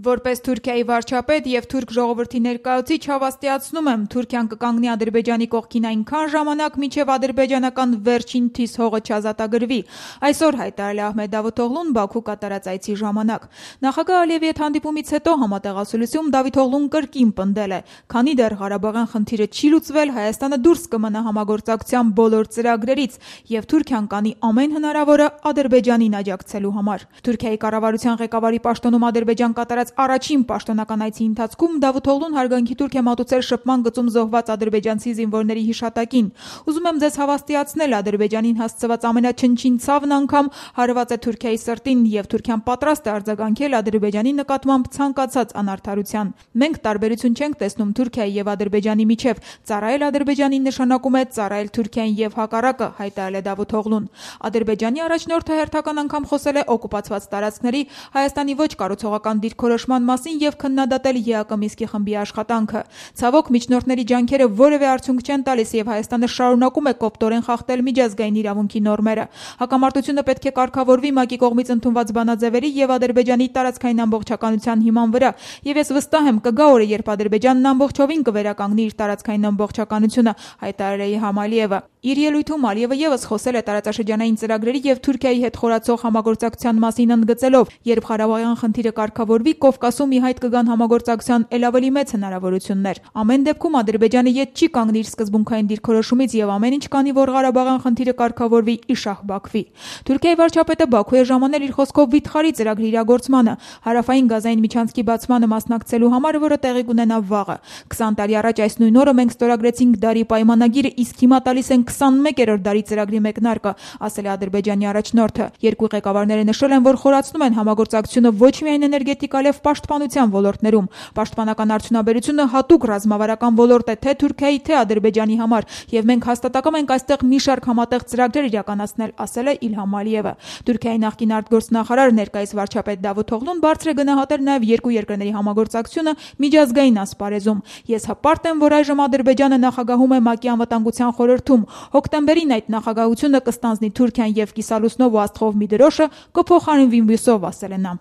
Որպես Թուրքիայի վարչապետ եւ թուրք ժողովրդի ներկայացուցիչ հավաստիացնում եմ, Թուրքիան կկանգնի Ադրբեջանի կողքին այնքան ժամանակ, մինչեւ ադրբեջանական վերջին թիս հողը չազատագրվի։ Այսօր հայտարարել է Ահմեդ Դավութօղլուն Բաքու կատարած այցի ժամանակ։ Նախագահ Ալիևի հետ հանդիպումից հետո համատեղասուլիսում Դավութօղլուն կրկին պնդել է, քանի դեռ Ղարաբաղյան խնդիրը չի լուծվել, Հայաստանը դուրս կմնա համագործակցության բոլոր ծրագրերից եւ Թուրքիան կանի ամեն հնարավորը Ադրբեջանին աջակցելու համար։ Թուրքիայի կառավարության ղեկավարի պաշտոնում Ադրբեջան կատարած առաջին պաշտոնական այցի ընթացքում Դավութօղլուն հարգանքի տուրք է մատուցել շփման գծում զոհված ադրբեջանցի զինվորների հիշատակին։ Ուզում եմ ձեզ հավաստիացնել, Ադրբեջանին հասցված ամենաչնչին ցավն անգամ հարված է Թուրքիայի սրտին եւ Թուրքիան պատրաստ է արձագանքել Ադրբեջանի նկատմամբ ցանկացած անարդարության։ Մենք տարբերություն չենք տեսնում Թուրքիայի եւ Ադրբեջանի միջև, ծառայել Ադրբեջանին նշանակում է ծառայել Թուրքիային եւ հակառակը, հայտարարել է Դավութօղլուն։ Ադրբեջանի առաջնորդը հերթական անգամ խոսել է օկուպացված տարածքների Հայաստանի ոչ կառուցողական դիրքորոշման մասին եւ քննադատել ԵԱԿ Մինսկի խմբի աշխատանքը։ Ցավոք, միջնորդների ջանքերը որևէ արդյունք չեն տալիս եւ Հայաստանը շարունակում է կոպտորեն խախտել միջազգային իրավունքի նորմերը։ Հակամարտությունը պետք է կարգավորվի ՄԱԿ-ի կողմից ընդունված բանաձևերի եւ Ադրբեջանի տարածքային ամբողջականության հիման վրա։ Եվ ես վստահ եմ, կգա օրը, երբ Ադրբեջանն ամբողջովին կվերականգնի իր տարածքային ամբողջականությունը, հայտարարել է Իլհամ Ալիևը։ Իր ելույթում Ալիևը եւս խոսել է տարածաշրջանային ծրագրերի եւ Թուրքիայի հետ խորացող համագործակցության մասին, ընդգծելով, երբ Ղարաբաղյան խնդիրը կարգավորվի, Կովկասում ի հայտ կգան համագործակցության ել ավելի մեծ հնարավորություններ։ Ամեն դեպքում Ադրբեջանը յետ չի կանգնի իր սկզբունքային դիրքորոշումից եւ ամեն ինչ կանի, որ Ղարաբաղյան խնդիրը կարգավորվի իշահ Բաքվի։ Թուրքիայի վարչապետը Բաքու է ժամանել իր խոսքով վիթխարի ծրագրի իրագործմանը, հարավային գազային միջանցքի բացմանը մասնակցելու համար, որը տեղի կունենա վաղը։ 20 տարի առաջ այս նույն օրը մենք ստորագրեցինք դարի պայմանագիրը, իսկ հիմա տալիս են 21-րդ դարի ծրագրի մեկնարկը, ասել է Ադրբեջանի առաջնորդը։ Երկու ղեկավարները նշել են, որ խորացնում են համագործակցությունը ոչ միայն էներգետիկ, այլև պաշտպանության ոլորտներում։ Պաշտպանական արդյունաբերությունը հատուկ ռազմավարական ոլորտ է թե Թուրքիայի, թե Ադրբեջանի համար, եւ մենք հաստատակամ ենք այստեղ մի շարք համատեղ ծրագրեր իրականացնել, ասել է Իլհամ Ալիևը։ Թուրքիայի նախկին արտգործնախարար, ներկայիս վարչապետ Դավութօղլուն բարձր է գնահատել նաեւ երկու երկրների համագործակցությունը միջազգային ասպարեզում։ Ես հպարտ եմ, որ այժմ Ադրբեջանը նախագահում է ՄԱԿ-ի անվտանգության խորհրդում։ Հոկտեմբերին այդ նախագահությունը կստանձնի Թուրքիան եւ կիսալուսնով ու աստղով մի դրոշը կփոխարինվի մյուսով, ասել է նա։